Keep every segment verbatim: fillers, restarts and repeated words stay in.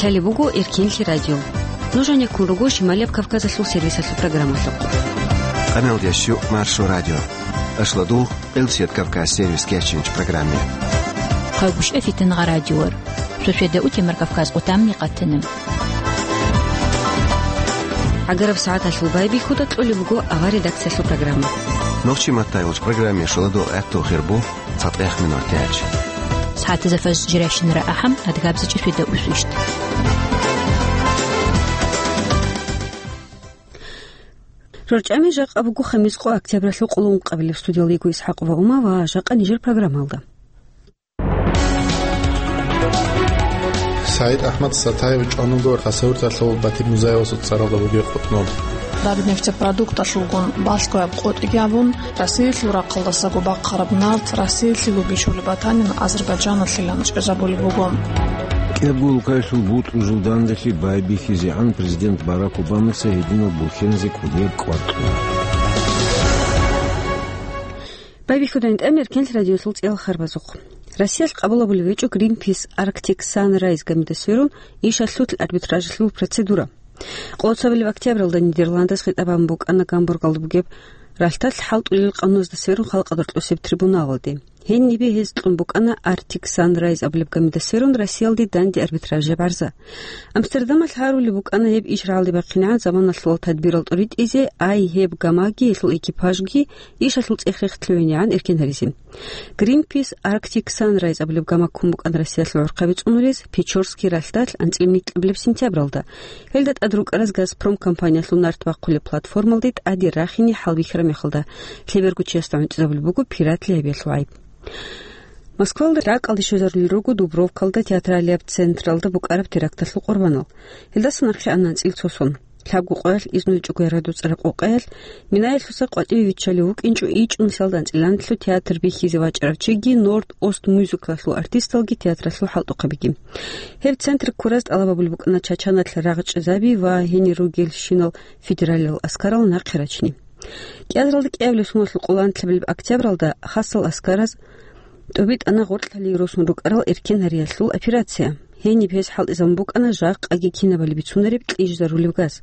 Лъалеб буго Эркенлъи радио. Нуж гьанеккун руго Шималияб Кавказалъул сервисалъул программалъухъ. Къамел ящу Маршо радио. Ашладугъ Къилсият Кавказ сервис кечинч программе. Хъагушев Фитнагъа радиор. Шошеда утемар Кавказ къутамни къатана. ГӀагараб сагӀаталъул байбихьуда кьолеб буго авар редакциялъул программа. Нохчи маттайулч программе шуладу гӀатту хирбу цатӀех минут тяч. СагӀатаза фаж жиращинара ахӀам адгабзичӀи шуеда усвищт. РорчӀами жакъа буго хамис къо октябралъул къулун къабилеб студиялда йиго ИсхӀакъ ва Ума ва жакъа нижер программалда. СагӀид АхӀмад Сатаев чӀвануго Хасавюрталъул Батир Музаевасул цӀаралда бугеб къутӀнун. Рабнефтепродукталъулгун балъгояб къотӀиги абун, Россиялъул рахъалдасаго бахъараб нарт Россиялъего бичулеб батанин Азербайджаналъилан чӀезабулеб буго. КӀиябгулукаялъул бутӀрузул данделъи байбихьизегӀан президент Барак Обамаца гьединал бурхьенизе кӀудияб кӀвар кьуна. Байбихьудайин тӀамер Эркенлъи радиоялъул цӀел харбазухъ. Россиялъ къабулабулев гьечӀо Greenpeace Arctic Sunrise гамидас сверун ишалъул арбитражалъул процедура. Къоло цебалеб октябралда Нидерландас хитӀаб букӀана Гамбургалда бугеб ралъдалъ хӀалтӀулел къануназдаса верун халкъалда рокьосеб трибуналалде. Гьенибе гьез кьун букӀана Arctic Sunrise абулеб гамидаса верун Россиялде данде арбитражияб гӀарза. Амстердамалъ гьарулеб букӀана гьеб иш рагӀалде бахъинегӀан заманалъул тадбирал тӀуритӀизе, ай гьеб гамаги гьелъул экипажги ишалъул цӀех-рех лъугӀинегӀан эркен гьаризе. Greenpeace Arctic Sunrise абулеб гама ккун букӀана Россиялъул гӀурхъаби цӀунулез Печорский ралъдалъ анцӀила микьабилеб сентябралда. Гьелда тӀад рукӀараз Газпром компаниялъул нарт бахъулеб платформалде тӀаде рахине хӀалбихьараб мехалда, лъеберго чиясда гӀунтӀизабулеб буго пиратли гьабиялъул гӀайиб. Москвалда ракӀалде щвезарулел руго Дубровкалда театралияб централда букӀараб теракталъул къурбанал. Гьелдаса нахъе ана анцӀила цо сон. Лъабго къоялъ изну гьечӀого ярадуцӀараб къокъаялъ, минаялъуса къватӀиве виччалев вукӀинчӀо ичӀнусиялда анцӀила анлъго театр бихьизе вачӀарав чиги, Норд-Ост мюзиклалъул артисталги театралъул хӀалтӀухъабиги. Гьеб центр ккураз тӀалаб гьабулеб букӀана чачаналъ рагъ чӀезаби ва гьенир ругелщинал федералияб аскарал нахъе рачине. КӀиазаралда кӀиабилеб соналъул къоло анлъабилеб октябралда хасал аскараз тӀубитӀана гъоркьлъалие росун рукӀарал эркен гьариялъул операция. Гьениб гьез хӀалтӀизабун букӀана жакъаги кинабали бицунареб кьижизарулеб газ.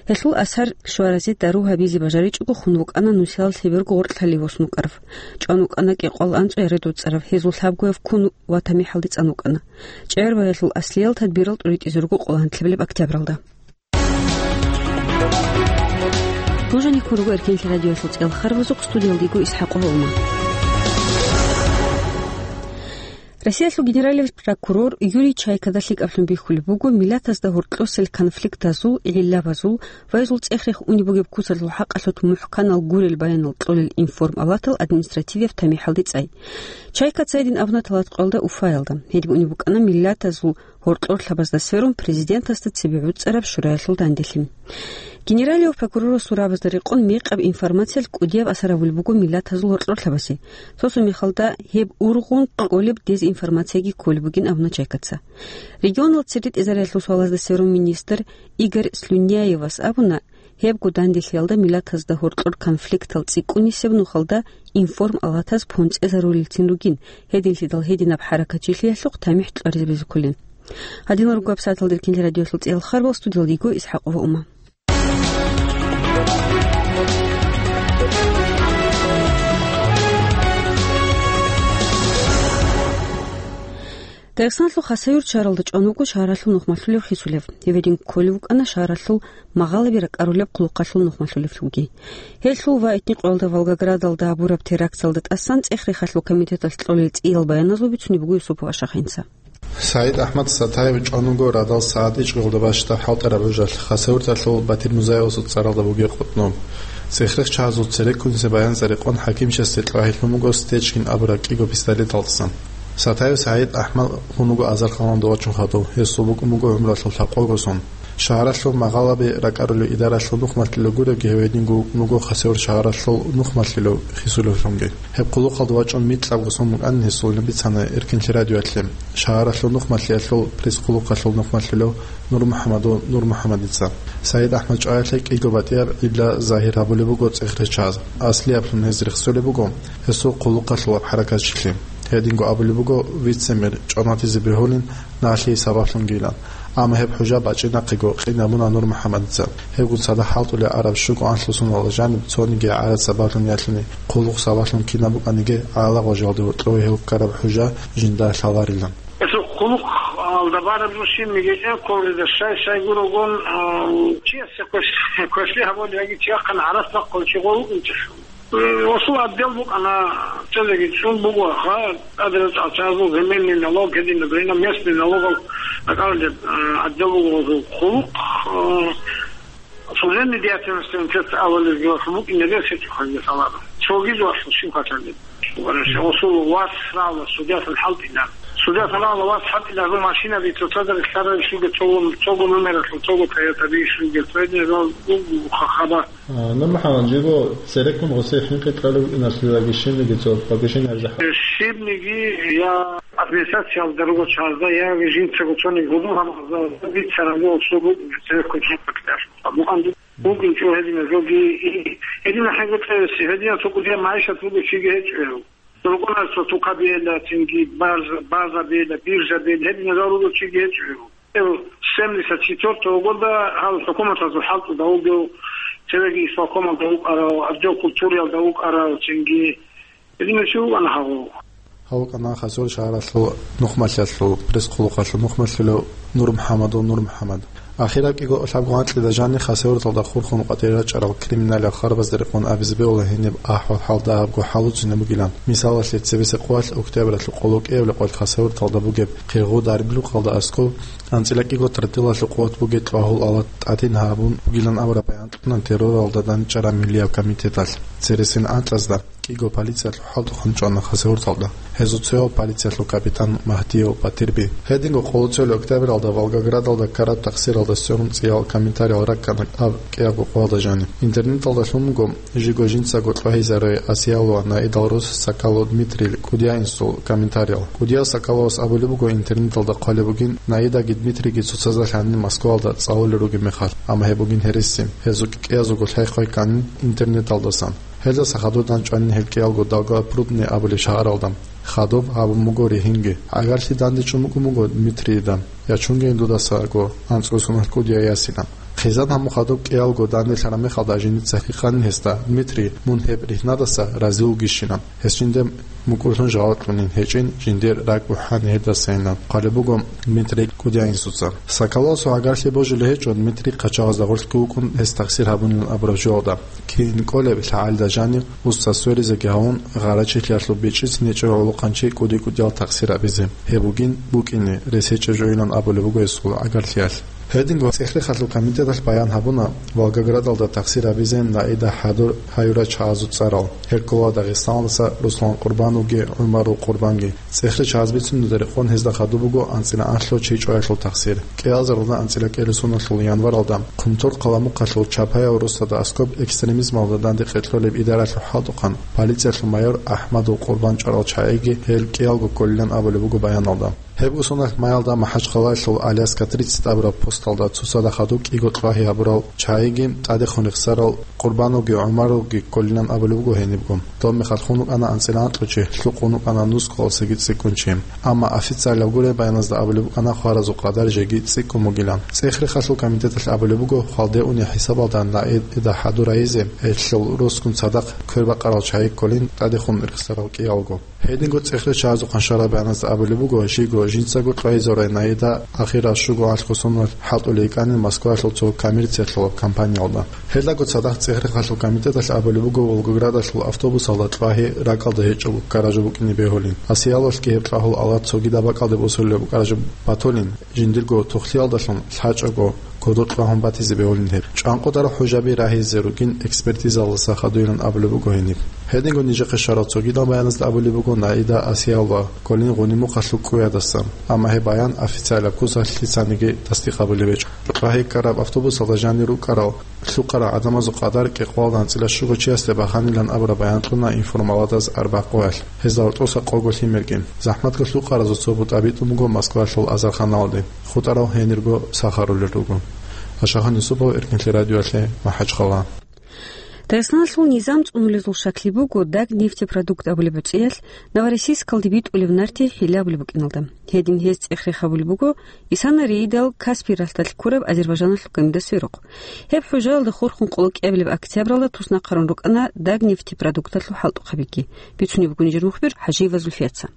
Гьелъул асар щваразе дару гьабизе бажаричӀого хун вукӀана нусиялъ лъеберго гъоркьлъалие восун вукӀарав. ЧӀван вукӀана кӀикъоялда анцӀго ярадуцӀарав, гьезул лъабгояв ккун ва тамихӀалде цӀан вукӀана. ЧӀегӀер багьиялъул аслиял тадбирал тӀуритӀизе руго къоло анлъабилеб октябралда. Нужениккун руго Эркенлъи радиоялъул цӀел харбазухъ, студиялда йиго ИсхӀакъ ва Ума. Россиялъул генералияб прокурор Юрий Чайкада лъикӀаблъун бихьулеб буго миллатазда гьоркьосел конфликтазул гӀиллабазул ва гьезул цӀех-рех унеб бугеб куцалъул хӀакъалъулъ мухӀканал гурел баянал кьолел информалатал административияб тамихӀалде цӀай. Чайкаца гьедин абуна Талаткъоялда Уфаялда. Гьедин унеб букӀана миллатазул гьоркьорлъабазда сверун президентасда цебе гӀуцӀараб шураялъул данделъи. Генералияб прокурорасул рагӀабазда рекъон мекъаб информациялъ кӀудияб асар гьабулеб буго миллатазул гьоркьорлъабазе. Цо-цо мехалда гьеб ургъун кколеб дезинформацияги кколеб бугин абуна Чайкаца. Регионал церретӀезариялъул суалазда сверун министр Игорь Слюняевас абуна, гьебго данделъиялда миллатазда гьоркьор конфликтал цӀикӀкӀунисеб нухалда информалатаз понцӀезарулелцин ругин, гьединлъидал гьединаб хӀаракатчилъиялъухъ тамихӀ кьваризабизуккулин. Гьадинал руго гьаб сагӀаталда Эркенлъи радиоялъул цӀел харбал, студиялда йиго ИсхӀакъ ва Ума. Дагъистаналъул Хасавюрт шагьаралда чӀван вуго шагьаралъул нухмалъулев хисулев. Гьев гьедин кколев вукӀана шагьаралъул магъалаби ракӀарулеб хъулухъалъул нухмалъулевлъулги. Гьелъул ва Этникъоялда Волгоградалда гьабураб теракталда тӀасан цӀех-рехалъул комитеталъ кьолел цӀиял баяназул бицунеб буго Юсупов Ашахинца. СагӀид АхӀмад Сатаев чӀван вуго радал сагӀат ичӀгоялда бащдаб хӀалтӀараб гӀужалъ Хасавюрталъул Батир Музаевасул цӀаралда бугеб къутӀнун. ЦӀех-рех чагӀазул цереккунисеб баянза рекъон хӀакимчиясде кьвагьизе лъун буго Стечкин абураб кӀиго пистолеталдасан. Сатаев СагӀид АхӀмад вуго азарханалда вачун хадув, гьесул букӀун буго гӀумралъул лъабкъого сон. Шагьаралъул магъалаби ракӀарулев идаралъул нухмалъулев гуребги гьев гьединго вукӀун вуго Хасавюрт шагьаралъул нухмалъулев хисулевлъунги. Гьеб хъулухъалда вачӀун микьабго сон букӀанин гьесул бицана Эркенлъи радиоялъе шагьаралъул нухмалъиялъул пресс-хъулухъалъул нухмалъулев НурмухӀамадов НурмухӀамадица. СагӀид АхӀмад чӀваялъе кӀиго батӀияб гӀилла загьир гьабулеб буго цӀех-рех чагӀаз. Аслияблъун гьез рехсолеб буго гьесул хъулухъалъулаб хӀаракатчилъи. Гьединго абулеб буго вице-мэр чӀванатизе бегьулин налъие сабаблъунгилан. Амма гьеб хӀужа бачӀинахъего къинабуна Нур МухӀаммадица. Гьебгун цадахъ хӀалтӀулел араб щуго анлъго соналда жаниб цониги гӀараб сабаблъун ялъуни, хъулухъ сабаблъун кинаб букӀаниги гӀалагъважалде гьоркьове гьев ккараб хӀужа жинда лъаларилан. Гьесул хъулухъалда бараб жо щибниги чӀен кколеда, щай-щай гурогун, а, чиясе квеш-, квешлъи гьабулеб яги чияхъан гӀарац бахъулев чи гъов вукӀинчӀелъул. Э, гьесул отдел букӀана, цезеги чӀун буго, ха, тӀаде рачӀарал чагӀазул земельный налог, гьединаб гьениб местный налогал ракӀарулеб, э, отдел буго гьесул. Хъулухъ, э, служебный деятельносте абулеб жоялъул букӀине рес гьечӀо ханги саларо. Цоги жоялъул щиб хъаталеб. Гьесул вас рала судьясан хӀалтӀила. Судьясан рала вас хӀалтӀила, гьезул машинаби цоцазда релълъарал щуго цого, цого номералъул, цого Тойотаби щуго, цо гьединал буго ха-, хабар. А, Нур МухӀаммад, жибго цереккун гъосие хӀинкъи кьолеб букӀиналъулаги щибниги цо багишин гьаржахъа. Щибниги я администрациялда руго чагӀазда, я жинцаго цониги гьудул гьаб-, бицараб буго цо букӀин цереккун хӀинкъи кьолеб. Мукъан вукӀинчӀо гьединазулги, и, гьединал хӀинкъи кьеси, гьединал цо кӀудияб магӀишат буго чиги гьечӀо гьев. Рукъуна цо тукабиялда, цинги барз-, базабиялда, биржабиялда, гьединал руго чиги гьечӀо гьев. Гьев семьдесят четвёртого года гьал хӀукуматазул хӀалтӀуда вугев, цевеги исполкомалда вукӀарав, отдел культуриялда вукӀарав, цинги гьединав чи вукӀана гьав. Гьав вукӀана Хасавюрт шагьаралъул нухмалъиялъул пресс-хъулухъалъул нухмалъулев Нур МухӀаммадов Нур МухӀаммад. Ахираб кӀиго лъабго анкьида жаниб Хасавюрталда хурхун къватӀире рачӀарал криминалияб хабарзда рекъон абизе бегьула гьениб ахӀвал-хӀал дагьабго хӀалуцӀцӀине бугилан. Мисалалъе, цебесеб къоялъ октябралъул къоло кӀиябли къоялъ Хасавюрталда бугеб Къигъу Дариблукъалда аскӀоб анцӀила кӀиго тротилалъул къуват бугеб кьвагьул алат тӀадин гьабун бугилан абураб баян кьуна терроралда дандчӀараб миллияб комитеталъ. Цересел анкьазда кӀиго полициялъул хӀалтӀухъан чӀвана Хасавюрталда. Гьезул цояв полициялъул капитан Магьдиев Батирби. Гьединго къоло цоял октябралда Волгоградалда ккараб тахсиралда сверун цӀиял комментариял раккана аб кӀиябго къоялда жаниб. Интернеталда лъун буго жиго жинцаго кьвагьизарай Асиялова Наидал рос Сакалов Дмитрий кӀудияинсул комментариял. КӀудияв Сакаловас абулеб буго интернеталда хъвалеб бугин, Наидаги Дмитрийги цоцазда лъанин Москваялда цӀалулел ругеб мехалъ, амма гьеб бугин гьереси. Гьезул кӀикӀиязулго лъай-хъвай кканин интернеталдасан. Гьелдаса хадур дандчӀванин гьел кӀиялго Долгопрудный абулеб шагьаралда. Хадуб гьабун буго ригьинги. ГӀагарлъи дандечӀун букӀун буго Дмитрийида, ячунгейин дудасаго анцӀго соналъ кӀудияв ясилан. Хъизан гьамун хадуб кӀиялго данделъараб мехалда жиндица гьикъанин гьесда: «Дмитрий, мун гьеб ригьнадаса рази вугищилан?» Гьес жинде мукӀурлъун жаваб кьунин гьечӀин, жиндир ракӀ бухӀани гьедасайилан хъвалеб буго Дмитрий кӀудияинсуца. Сакаловасул гӀагарлъи божулеб гьечӀо Дмитрий хъачагъазда гъорлъго вукӀун гьес тахсир гьабунилан абураб жоялда. Кин кӀолеб лъагӀалда жанив уста сверизеги гьавун, гъарачилъиялъул бичӀчӀицин гьечӀев гӀолохъанчи кӀуди-кӀудиял тахсир абизе. Гьеб бугин букӀине рес гьечӀеб жойилан абулеб буго гьесул гӀагарлъиялъ. Гьединго ЦӀехрехалъул комитеталъ баян гьабуна, Волгоградалда тахсир абизе Наида хӀадур гьаюрал чагӀазул цӀарал: Гьеркулал Дагъистаналдаса Руслан Къурбановги ГӀумарул Къурбанги. ЦӀехричагьаз бицунеб рекъон гьезда хадуб буго анцӀила анлъго чи чӀваялъул тахсир. КӀиазаралда анцӀила кӀиабилеб соналъул январалда Хъумторхъ гьалмухъалъул Чапаяв росдада аскӀоб экстремизмалда данде къеркьолеб идаралъул хӀалтӀухъан полициялъул майор АхӀмадул Къурбан чӀварал чагӀиги гьел кӀиялго кколилан абулеб буго баяналда. Гьебго соналъ майялда МахӀачхъалаялъул Аляска тридцать абураб посталда цоцазда хадуб кӀиго кьвагьи гьабурал чагӀиги тӀадехун рехсарал Къурбановги ГӀумаровги кколилан абулеб буго гьенибго. Доб мехалъ хун вукӀана анцӀила анкьго чи, лъукъун вукӀана нусгоялдасаги цӀикӀкӀун чи. Амма официалаб гуреб баяназда абулеб букӀана хваразул къадар жеги цӀикӀкӀун бугилан. ЦӀехрехалъул комитеталъ абулеб буго, хвалде унеб хӀисабалда Наида хӀадур гьайизе гьелъул росгун цадахъ квербакъарал чагӀи кколин тӀадехун рехсарал кӀиялго. Гьединго ЦӀехричагьазул къаншараб баяназда абулеб буго, жиго жинцаго кьвагьизарай Наида ахирал щуго анлъго соналъ хӀалтӀулей йикӀанин Москваялъул цо коммерциялъулаб компаниялда. Гьелдаго цадахъ ЦӀехрехалъул комитеталъ абулеб буго Волгоградалъул автобусалда кьвагьи ракӀалда гьечӀого ккараб жо букӀине бегьулин. Асияловалъги гьеб кьвагьул алат цогидаб бакӀалде босулеб букӀараб жо батулин, жиндирго тухлъиялдалъун лъачӀого кодор кьвагьун батизе бегьулин гьеб. ЧӀанкъудараб хӀужаби рагьизе ругин экспертизаялдаса хадуйилан абулеб буго гьениб. Гьединго нижехъе щварал цогидал баяназда абулеб буго, Наида Асиялова кколин Гъунимухъалъул кӀуядасан, амма гьеб баян официалаб куцалъ лъицаниги тасдикъ гьабулеб гьечӀо. Кьвагьи ккараб автобусалда жанир рукӀарал лъукъарал гӀадамазул къадар кӀикъоялда анцӀила щуго чиясде баханилан абураб баян кьуна информаладаз арбагъ къоялъ, гьезда гьоркьоса къого лъимерги. ЗахӀматго лъукъаразул цо бутӀа битӀун буго Москваялъул Азарханалде, хутӀарав гьенирго сахарулел руго. Ашахан Юсупов, Эркинлъи радиоялъе, МахӀачхъала. Дагъистаналъул низам цӀунулезул щаклъи буго Дагнефтепродукт абулеб гӀуцӀиялъ Новороссийскалде битӀулеб нарти хӀилла абулеб букӀиналда. Гьедин гьез цӀех-рех гьабулеб буго Исана-Рейдал Каспий ралъдалъ ккураб Азербайжаналъул гамида сверухъ. Гьеб хӀужаялда хурхун къоло кӀиабилеб октябралда туснахъарун рукӀана Дагнефтепродуктлъул хӀалтӀухъабиги. Бицунеб буго нижер мухбир ХӀажиева Зульфияца.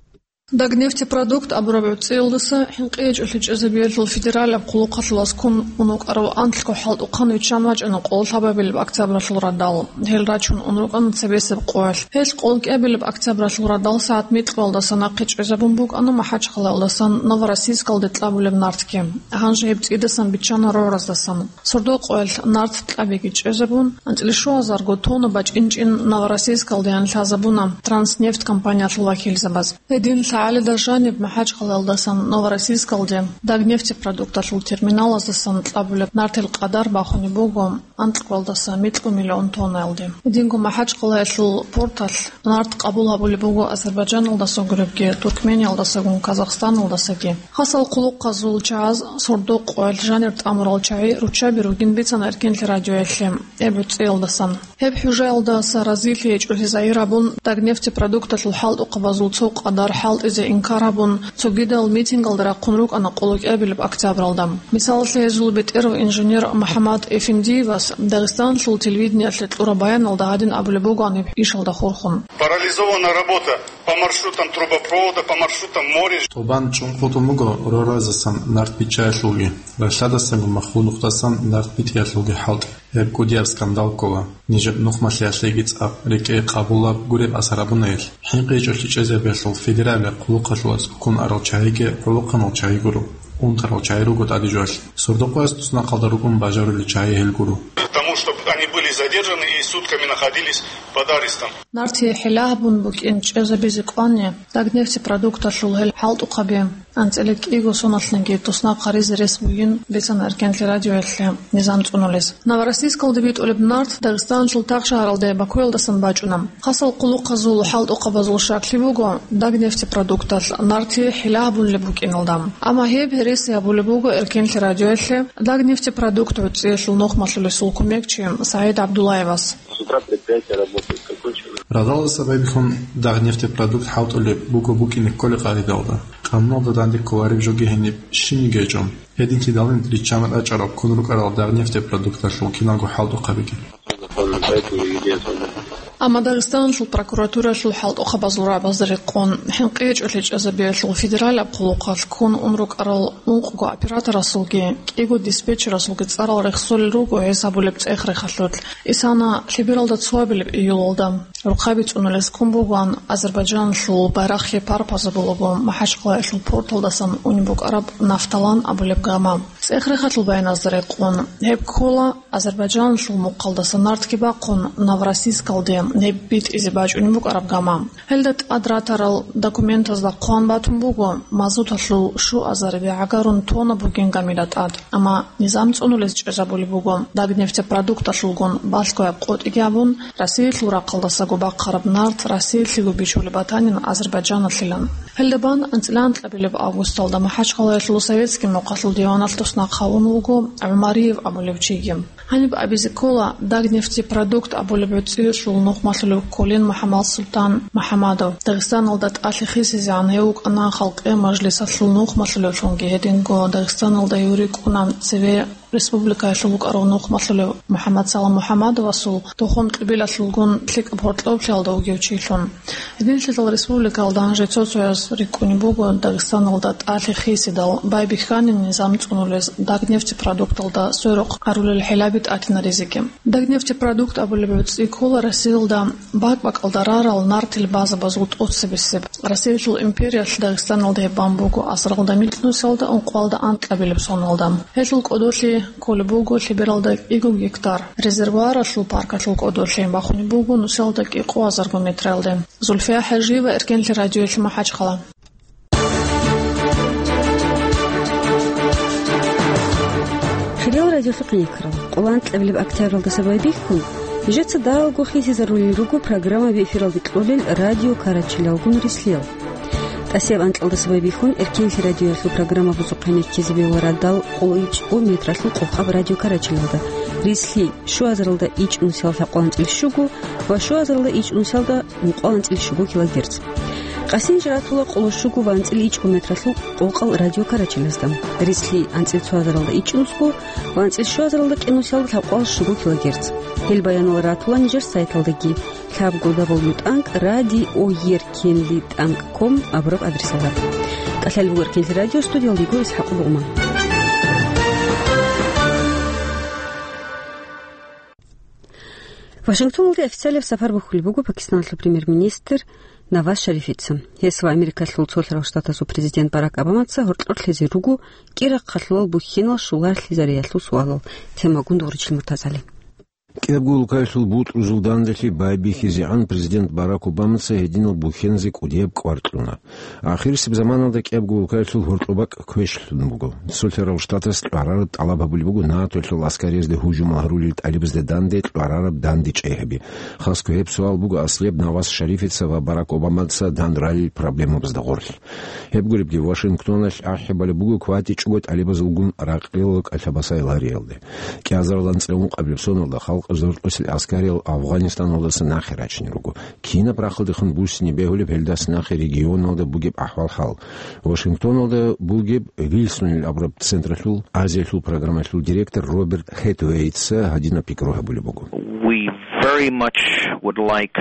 Дагнефтепродукт абураб гӀуцӀиялдаса хӀинкъи гьечӀолъи чӀезабиялъул федералаб хъулухъалъулас ккун ун вукӀарав анлъго хӀалтӀухъан виччан вачӀана къоло лъабабилеб октябралъул радал. Гьел рачун ун рукӀана цебесеб къоялъ. Гьелъ къоло кӀиабилеб октябралъул радал сагӀат микьуялдаса нахъе чӀезабун букӀана МахӀачхъалаялдасан Новороссийскалде кьабулеб нартги. Гьанже гьеб цӀидасан биччана рогӀраздасан. Сордо къоялъ нарт кьабиги чӀезабун, анцӀила щуазарго тонна бачӀинчӀин Новороссийскалдеян лъазабуна Транснефть компаниялъул вакилзабаз. Гьедин лъагӀалида жаниб МахӀачхъалаялдасан Новороссийскалде Дагнефтепродукталъул терминалаздасан кьабулеб нартил къадар бахунеб буго анкьалдаса микьу миллион тоннаялде. Гьединго МахӀачхъалаялъул порталъ нарт къабул гьабулеб буго Азербайджаналдаса гуребги, Туркмениялдасагун, Казахстаналдасаги. Хасал хъулухъазул чагӀаз сордо къоялъ жанир тӀамурал чагӀи руччаби ругин бицана Эркенлъи радиоялъе гьеб гӀуцӀиялдасан. Гьеб хӀужаялдаса разилъи гьечӀолъи загьир гьабун, Дагнефтепродукталъул хӀалтӀухъабазул цо къадар хӀалтӀизе инкар гьабун, цогидал митингалда рахъун рукӀана къоло кӀиабилеб октябралда. Мисалалъе, гьезул бетӀерав инженер МухӀаммад Эфендиевас Дагъистаналъул телевидениялъе кьураб баяналда гьадин абулеб бугоан гьеб ишалда хурхун. Парализована работа по маршрутам трубопровода, по маршрутам моря. ТӀубан чӀун хутӀун буго рогӀразасан нарт биччаялъулги, ралъадасанго маххул нухдасан нарт битӀиялъулги хӀалтӀи. Гьеб кӀудияб скандал ккола. Нижер нухмалъиялъеги цӀакъ рекӀее къабулаб гуреб асар гьабуна гьелъ. ХӀинкъи гьечӀолъи чӀезабиялъул федералияб хъулухъалъулас ккун арал чагӀиги гӀолохъанал чагӀи гуро, унтарал чагӀи руго тӀаде жоялъе. Сордо къояс туснахъалда рукӀун бажарулел чагӀи гьел гуро. К тому, чтобы они были задержаны и сутками находились под арестом. Нарти хӀилла гьабун букӀин чӀезабизе кӀвани, Дагнефтепродукталъул гьел хӀалтӀухъаби анцӀила кӀиго соналъниги туснахъ гьаризе рес бугин бицана Эркенлъи радиоялъе низам цӀунулес. Новороссийскалде битӀулеб нарт Дагъистаналъул тахшагьаралде Бакуялдасан бачӀуна. Хасал хъулухъазул хӀалтӀухъабазул щаклъи буго Дагнефтепродукталъ нарти хӀилла гьабулеб букӀиналда. Амма гьеб гьереси гьабулеб буго Эркенлъи радиоялъе Дагнефтепродукт гӀуцӀиялъул нухмалъулесул кумекчи СагӀид ГӀабдуллаевас. С утра предприятие работает, закончилось. Радалдаса байбихьун Дагнефтепродукт хӀалтӀулеб буго букӀине кколеб къагӀидалда. Къануналда данде кколареб жоги гьениб щибниги гьечӀо. Гьединлъидалин риччан рачӀарал ккун рукӀарал Дагнефтепродукталъул киналго хӀалтӀухъабиги. Амма Дагъистаналъул прокуратуралъул хӀалтӀухъабазул рагӀабазда рекъон, хӀинкъи гьечӀолъи чӀезабиялъул федералияб хъулухъалъ ккун ун рукӀарал ункъго операторасулги кӀиго диспетчерасулги цӀарал рехсолел руго гьес гьабулеб цӀех-рехалъулъ. Исана лъебералда цоабилеб июлалда рухъаби цӀунулес ккун бугоан Азербайджаналъул байрахъги парпазабулаго МахӀачхъалаялъул порталдасан унеб букӀараб Нафталан абулеб гама. ЦӀех-рехалъул баяназда рекъон, гьеб ккола Азербайджаналъул мухъалдаса нартги бахъун, Новороссийскалде гьеб битӀизе бачӀунеб букӀараб гама. Гьелда тӀад ратарал документазда хъван батун буго, мазуталъул щуазариби гӀагарун тонна бугин гамила тӀад. Амма низам цӀунулез чӀезабулеб буго, Дагнефтепродукталъулгун балъгояб къотӀиги гьабун, Россиялъул рахъалдасаго бахъараб нарт Россиялъего бичулеб батанин Азербайджаналъилан. Гьелда бан анцӀила анкьабилеб августалда МахӀачхъалаялъул Советский мухъалъул диваналъ туснахъ гьавун вуго ГӀумариев абулев чиги. Гьаниб абизе ккола Дагнефтепродукт абулеб гӀуцӀиялъул нухмалъулев кколин МухӀаммадсултан МухӀаммадов, Дагъистаналда тӀалъи хисизегӀан гьев вукӀана Халкъиял Мажлисалъул нухмалъулевлъунги, гьединго Дагъистаналда гьев рикӀкӀуна цеве республикаялъул вукӀарав нухмалъулев МухӀаммадсалам МухӀаммадовасул тухум кьибилалъулгун лъикӀаб гьоркьоблъиялда вугев чилъун. Гьединлъидал республикаялда гьанже цо-цояз рикӀкӀунеб буго Дагъистаналда тӀалъи хисидал байбихьанин низам цӀунулез Дагнефтепродукталда сверухъ гьарулел хӀилаби тӀатинаризеги. Дагнефтепродукт абулеб гӀуцӀи ккола Россиялда бакӀ-бакӀалда рарал нартил базабазул тӀоцебесеб. Россиялъул империялъ Дагъистаналда гьеб бан буго асралда микь нусалда ункъоялда анкьабилеб соналда. Гьелъул кӀодолъи кколеб буго лъебералда кӀиго гектар. Резервуаралъул паркалъул кӀодолъи бахунеб буго нусалда кӀикъоязарго метралде. Зульфия ХӀажиева, Эркенлъи радиоялъ, МахӀачхъала. Хириял радиолъухъ никрал, къоло анкьабилеб октябралдаса байбихьун, нижеца дагьалго хисизарулел руго программаби эфиралде кьолел радио Карачилалгун рислъел. ТӀасияб анкьалдаса байбихьун Эркенлъи радиоялъул программа бусухъе ккезе бегьула радал къоло ичӀго метралъул къокъаб радио Карачилалда. Рислъи щуазаралда ичӀнусиялда лъабкъоялда анцӀила щуго ва щуазаралда ичӀнусиялда ункъоялда анцӀила щуго килогерц. Къасинжи ратула къоло щуго ва анцӀила ичӀго метралъул къокъал радиокарачелазда. Рислъи анцӀила цоазаралда ичӀнусго ва анцӀила щуазаралда кӀинусиялда лъабкъоялда щуго килогерц. Гьел баянал ратула нижер сайталдаги. Лъабго дабл ю тӀанкӀ ради о ер кенли тӀанкӀ ком абураб адресалда. КӀалъалеб буго Эркенлъи радио, студиялда йиго ИсхӀакъ Лугьман. Вашингтоналде официалияб сапар бухьулеб буго Пакистаналъул премьер-министр Наваз Шарифица. Гьес ва Америкалъул Цолъарал Штатазул президент Барак Обамаца гьоркьорлъизе руго кӀира-хъалъувал бухьинал щулалъизариялъул суалал. Темагун дугъричил Муртазали. КӀиябго улкаялъул бутӀрузул данделъи байбихьизегӀан президент Барак Обамаца гьединал бухьензе кӀудияб кӀвар кьуна. Ахирисеб заманалда кӀиябго улкаялъул гьоркьоб бакӀ квешлъун буго. Цолъарал Штатас кьварараб тӀалаб гьабулеб буго НАТОялъул аскариязде гьужумал гьарулел тӀалибазда данде кьварараб данде чӀей гьаби. Хасго гьеб суал буго аслияб Наваз Шарифица ва Барак Обамаца данде ралел проблемабазда гъорлъ. Гьеб гуребги, Вашингтоналъ ахӀи балеб буго кватӀичӀого тӀалибазулгун ракъилал кӀалъабасай лариялде. КӀиазарал анцӀила ункъабилеб соналда халкъ зоркьосел аскариял Афгъанистаналдаса нахъе рачине руго. Кинаб рахъалдехун буссине бегьулеб гьелдаса нахъе регионалда бугеб ахӀвал-хӀал? Вашингтоналда бугеб Вилсонил абураб централъул Азиялъул программалъул директор Роберт Хэтуэйтса гьадинаб пикру гьабулеб буго. We very much would like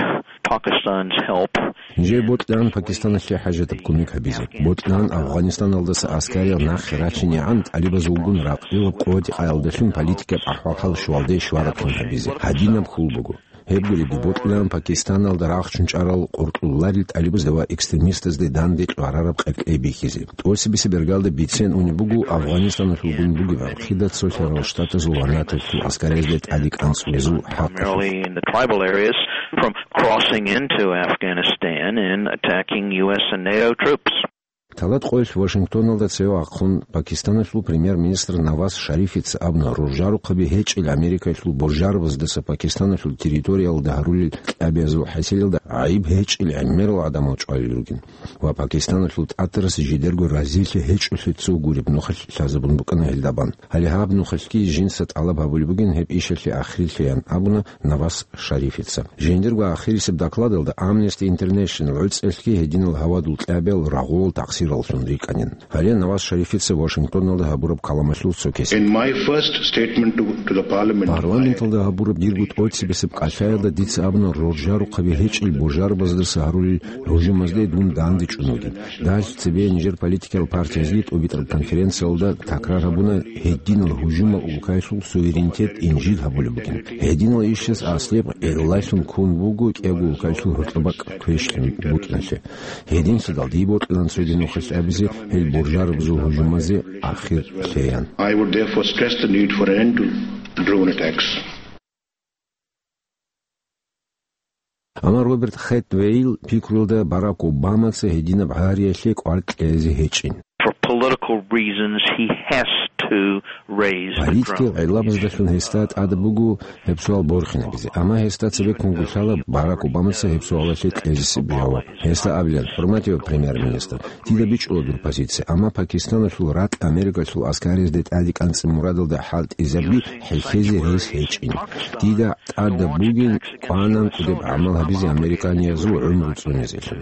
Pakistan's help. Нижее бокьилаан Пакистаналъе хӀажатаб кумек гьабизе. Бокьилаан Афгъанистаналдаса аскариял нахъе рачинегӀан тӀалибазулгун ракъилаб къоялдалъун политикаб ахӀвал-хӀал щвалде щварабхъин гьабизе. Гьадинаб хьул буго. Гьеб гуребги, бокьилаан Пакистаналда рахчун чӀарал къуркьуларел тӀалибазда ва экстремистазде данде кьварараб къеркьей бихьизе. ТӀоцебесеб бергалда бицен унеб буго Афгъанистаналъулгун бугеб гӀурхъида Цолъарал Штатазул ва НАТОялъул аскариязде тӀаде кӀанцӀулезул хӀакъалъулъ. Primarily in the tribal areas from crossing into Afghanistan and attacking U S and NATO troops. Талат къоялъ Вашингтоналда цеве вахъун Пакистаналъул премьер-министр Наваз Шарифица абуна, роржарухъаби гьечӀел Америкаялъул боржарабаздаса Пакистаналъул территориялда гьарулел кьабиязул хӀасилалда гӀайиб гьечӀел гӀемерал гӀадамал чӀвалел ругин. Ва Пакистаналъул тӀатарас жидерго разилъи гьечӀолъи цо гуреб нухалъ лъазабун букӀана гьелда бан. Гьале гьаб нухалъги жинца тӀалаб гьабулеб бугин гьеб ишалъе ахирилъеян абуна Наваз Шарифица. Жиндирго ахирисеб докладалда Amnesty International гӀуцӀелъги гьединал гьавадул кьабиял рагъулал такъсираллъун рикӀкӀанин. Гьале Наваз Шарифица Вашингтоналда гьабураб каламалъул цо кесек. In my first statement to, to the parliament, Парламенталда гьабураб дирго тӀоцебесеб кӀалъаялда дица абуна, роржарухъаби гьечӀел боржарабаздаса гьарулел гьужумазде дун данде чӀун вугин. Дагьалъ цебе нижер политикиял партиязги тӀубитӀараб конференциялда такрар гьабуна гьединал гьужумал улкаялъул суверенитет инжит гьабулеб бугин. Гьединал ишаз аслияб гӀиллалъун ккун буго кӀиябго улкаялъул гьоркьоб бакӀ квешлъи букӀиналъе. Гьединлъидал дие бокьилаан цоги нухалъ абизе гьел боржарабазул гьужумазе ахир лъеян. I would therefore stress the need for an end to drone attacks. Амма Роберт Хэтвейл пикруялда Барак Обамаца гьединаб гьариялъе кӀвар кьезе гьечӀин. For political reasons, he has to raise the Политикиял drone гӀиллабаздалъун гьесда тӀад буго гьеб суал борхинабизе, амма гьесда цебеккун гулъала Барак Обамаца гьеб суалалъе кьезесеб жаваб. Гьесда абилан, хӀурматияв премьер-министр, дида бичӀчӀула дур позиция, амма Пакистаналъул ракь Америкалъул аскариязде тӀаде кӀанцӀи мурадалда хӀалтӀизаби хӀехьезе рес гьечӀин. Дида тӀадаб бугин кӀванан кӀудеб гӀамал гьабизе американиязул гӀумру цӀунезелъун.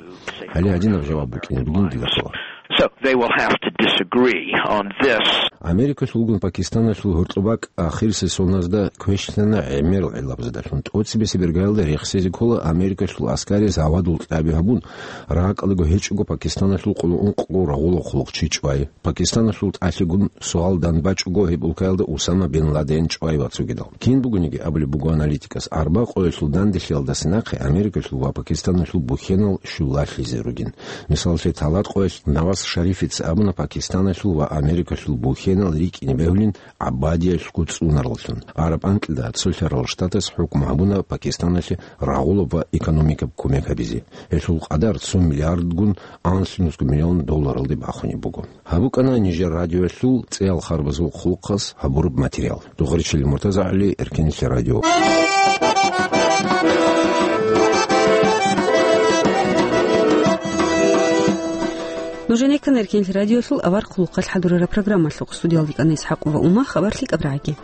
Гьале гьадинаб жаваб букӀине бугин дида ккола. So they will have to disagree on this. Америкалъулгун Пакистаналъул гьоркьоб бакӀ ахирисеб соназда квешлъана гӀемерал гӀиллабаздалъун. ТӀоцебесеб бергалда рехсезе ккола Америкалъул аскариз гьавадул кьаби гьабун, ракӀалдаго гьечӀого Пакистаналъул къуллукъго рагъула хъулухъчи чӀвай. Пакистаналъул тӀалъигун суал данбачӀого гьеб улкаялда Усама бин Ладен чӀвай ва цогидал. Кин бугониги абулеб буго аналитикас, арба къоялъул данделъиялдаса нахъе Америкалъул ва Пакистаналъул бухьенал щулалъизе ругин. Мисаллъе, талат къоялъ Наваз Шарифица абуна Пакистаналъул ва Америкалъул бухьенал рикӀкӀине бегьулин гӀабадиялъго цӀунараллъун. Араб анкьида Цолъарал Штатас хӀукму гьабуна Пакистаналъе рагъулаб ва экономикаб кумек гьабизе. Гьелъул къадар цо миллиардгун анлънусго миллион долларалде бахунеб буго. Гьаб букӀана нижер радиоялъул цӀеял харбазул хъулухъаз гьабураб материал. Дугъричилин Муртазагьли, Эркенлъи радио. Нужеца ккана Эркенлъи радиолъул авар хъулухъалъ хӀадурараб программалъухъ. Студиялда ккана ИсхӀакъова Ума, хабар лъикӀаб рагӀаги.